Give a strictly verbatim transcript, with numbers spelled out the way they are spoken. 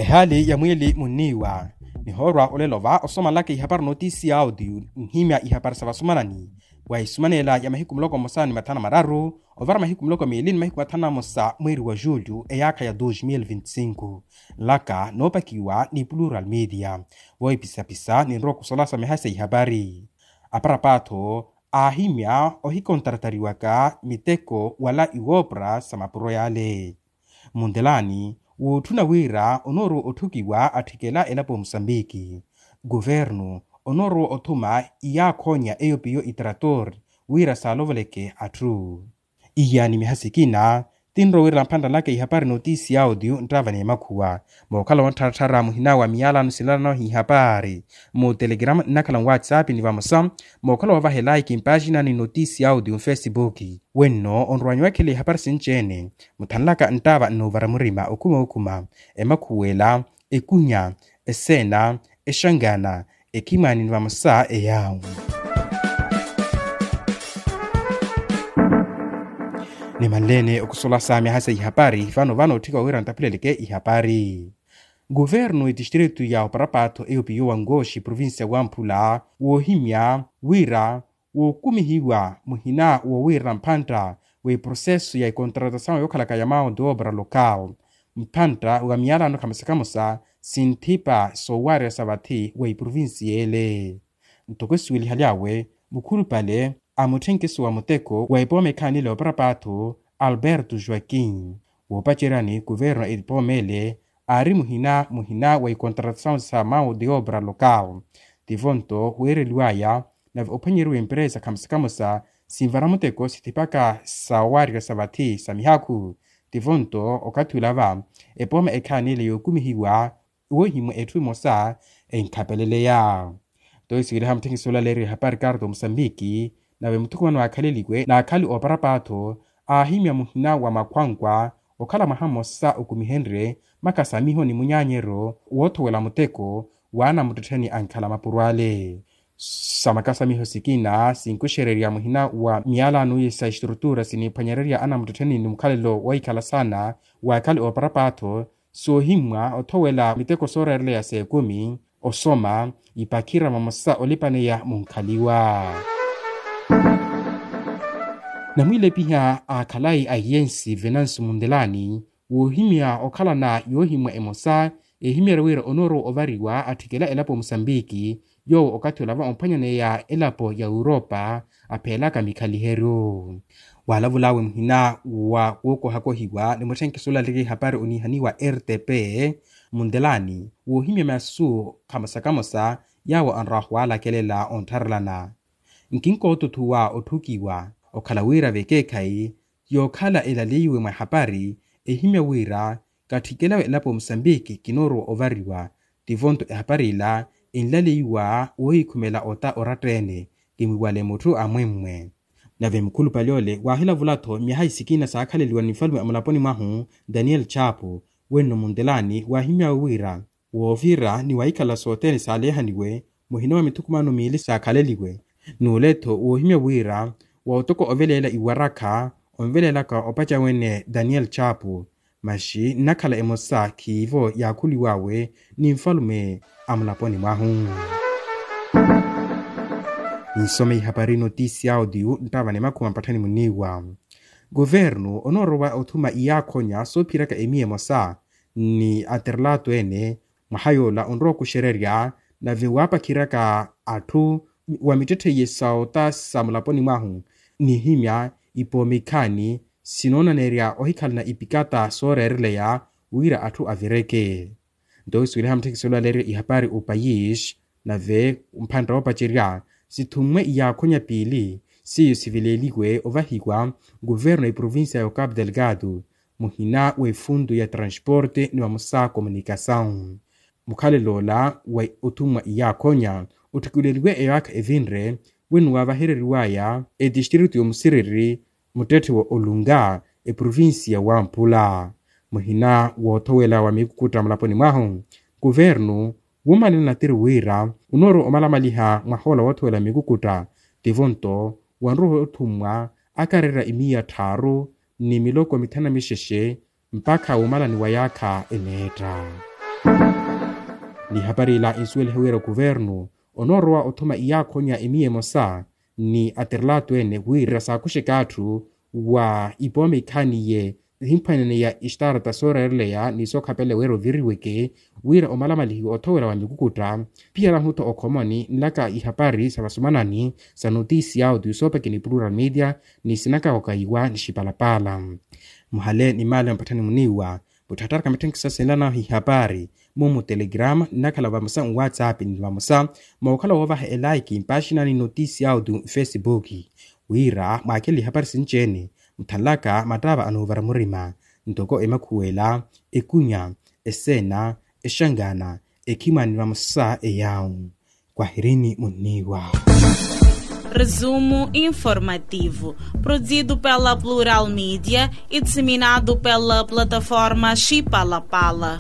Khaali ya mwiili munniiwa. Nihoorwa olelo va osomanlaka ihapari notiisi ya audio, nhimya ihapari sa vasumanani wa isumanela ya mahiku muloko mmosa ni mathanu mararu ovara mahiku muloko miili ni mahiku mathanu na mmosa mweeri wa julho eyaakha ya dos mil vinti cinco. Nlaka noopakiwa ni plural media. Voohipisapisa ninrowa okusolasa mihayi sa ihapari. Aparapatho aahimya ohikontaratariwaka miteko wala iwoopra sa mapuro yale. Muntelani wootthuna wira onoorowa otthukiwa atthikela elapo musambiki. Kuvernu onoorowa othuma iyaakhonya eyo piyo itrator wira saalovoleke atthu. Iya ni miha sikina tinrowa wira namphantta nlaka ihapari notiisi ya audio nttava ni emakhuwa. Mookhala wonttharattharya muhina wa miyalano sinalanahu ihapari mu telegram nnakhala nwatsapp ni vamosa mookhala woovaha elaiki mpaxina ni notiisi ya audio mfesipuki. Wenno onrowanyiwa ekhela ihapari sinci-ene muthanlaka nttaava nnoovara murima okhuma okhuma emakhuwela, ekunya, eseena, exangana, ekhimani ni vamosa eyaawu. Nimanleene okusolasa miaha sa ihapari vano vano otthika wira ntaphuleleke ihapari. Kuvernu etistritu ya oparapatho eyo piyo wa nkooxi provincia wa mphula woohimya wira wookumihiwa muhina woowirana mphantta w'eproseso ya ekontratasawu yookhalaka ya mao de obra local mphantta wa miyalano khamosa khamosa sinthipa soowarya sa vathi wa eprovincia ele. Ntoko esiwelihaly'awe mukhulupale a mutthenkiso wa muteko wa epooma ekhaanile oparapatho alberto joaquim woopaceryani kuvernu a epooma ele aari muhina muhina wa ekontratasawu sa mao de obra local. Tivo nto weereliwaya nave ophwanyeriwa empresa khamosa khamosa sinvara muteko sithipaka sawaarika sa vathi sa mihakhu. Tivo nto okathi olava epooma ekhaanile yookumihiwa woohimwa etthu emosa enkhapeleleya. Nto esiweliha mutthekisi olaleeriwa ehapari karto musambiki nave muthukumano aakhaleliwe n'akhali ooparapatho aahimya muhina wa makhwankwa okhala mwaha mmosa okumihenrye makasamiho ni munyaanyeryo woothowela muteko w'anamuttettheni ankhala mapuro ale. Sa makasamiho sikina sinkuxererya muhina wa miyalano sa estrutura siniphwanyererya anamuttettheni ni mukhalelo wohikhala saana w'akhali ooparapatho soohimmwa othowela miteko sooreereleya s'ekumi osoma ipakhira vamosa olipaneya munkhaliwa. Namwiilepiha a khalayi a iyensi venansi mundelani woohimya okhalana yoohimwa emosa ehimyerya wira onoorowa ovariwa atthikela elapo musambiki yoowo okathi olava omphwanyaneya elapo ya europa apheelaka mikhaliheryo. Waalavul'awe muhina wa wookohakohiwa ni mutthenkiso olaleke ihapari oniihaniwa rtp mundelani woohimya masu khamosa khamosa yaawo anrwaha owaalakelela onttharelana. Nkinkootothuwa otthukiwa okhala wira vekeekhayi yookhala elaleiwe mwa ehapari ehimya wira katthikelawe elapo musambiki kinoorowa ovariwa. Tivo nto ehapari ila enlaleiwa woohikhumela ota oratta-ene kimwiwale mutthu amwemmwe. Nave mukhulupale ole waahilavula-tho myaha isikina saakhaleliwa ni nfalume a mulaponi mwahu daniel chapo wenno muntelani waahimyawe wira woovira ni wahikhala sothene saaleehaniwe muhina wa mithukumano miili saakhaleliwe. N'ule-tho woohimya wira wa otoko oveleela iwarakha onveleelaka opaca wene daniel chapo maxi nnakhala emosa khiivo yaakhuliw'awe ni nfalume a mulaponi mwahu. Ninsome ihapari notisi ya audio nttaava ni makhuma mpatthani muniiwa. Kuvernu onoorowa othuma iyaakhonya soophiraka emiya emosa ni atirelato ene mwaha yoola onrowa okuxererya nave waapakhiraka atthu wa mittetthe iye sa ota sa mulaponi mwahu nihimya ipooma ikhaani sinoonaneerya ohikhalana ipikata sooreereleya wira atthu avireke. Nto osiweliha mutthekisi olaleerya ihapari opayis nave mphantta woopacerya sithummwe iyaakhonya piili seiyo siveleeliwe ovahiwa kuvernu a eprovincia ya ocapo delgado muhina w'efuntu ya transporte ni vamosa communicasawu. Mukhalelo ola wa othummwa iyaakhonya otthikileliwe eyaakha evinre wenno waavahereriwaya etistritu y'omusiriri muttetthe wa olunga eprovincia wa mphula muhina woothowela wa mikukutta mulaponi mwahu. Kuvernu wuumanela natiri wira onoorowa omalamaliha mwahoola woothowela mikukutta tivo nto wanrowa othummwa akarerya imiya tthaaru ni miloko mithanu na mixexe mpakha wuumalani wa yaakha eneetta. Ni hapari ila insuwelihe wira okuvernu onoorowa othuma iyaakhonya emiya emosa ni atirelato ene wira saakuxeka atthu wa ipooma ikhaniye ehimphwaneneya istarata sooreereleya ni sookhapeleya wira oviriweke wira omalamalihiwa othowela wa mikukutta. Phiyarahu-tho okhomoni nlaka ihapari sa vasumanani sa notisi ya audio soopeke ni plural media ni sinakawakayiwa ni xipalapala. Muhale ni maale mpatthani muniiwa mutthattaraka mitthenkisa sinlanahu ihapari mumu telegrama nnakhala vamosa nwatsapp ni vamosa mookhala woovaha elaiki mpaaxinani notisi ya audio mfesibuki wira mwaakele ihapari sinci-ene muthanlaka mattaava anoovara murima ntoko emakhuwela ekunya eseena exangana ekhimani vamosa eyawu. Kwahirini munniiwa. Resumo informativo, produzido pela Plural Media e disseminado pela plataforma Chipalapala.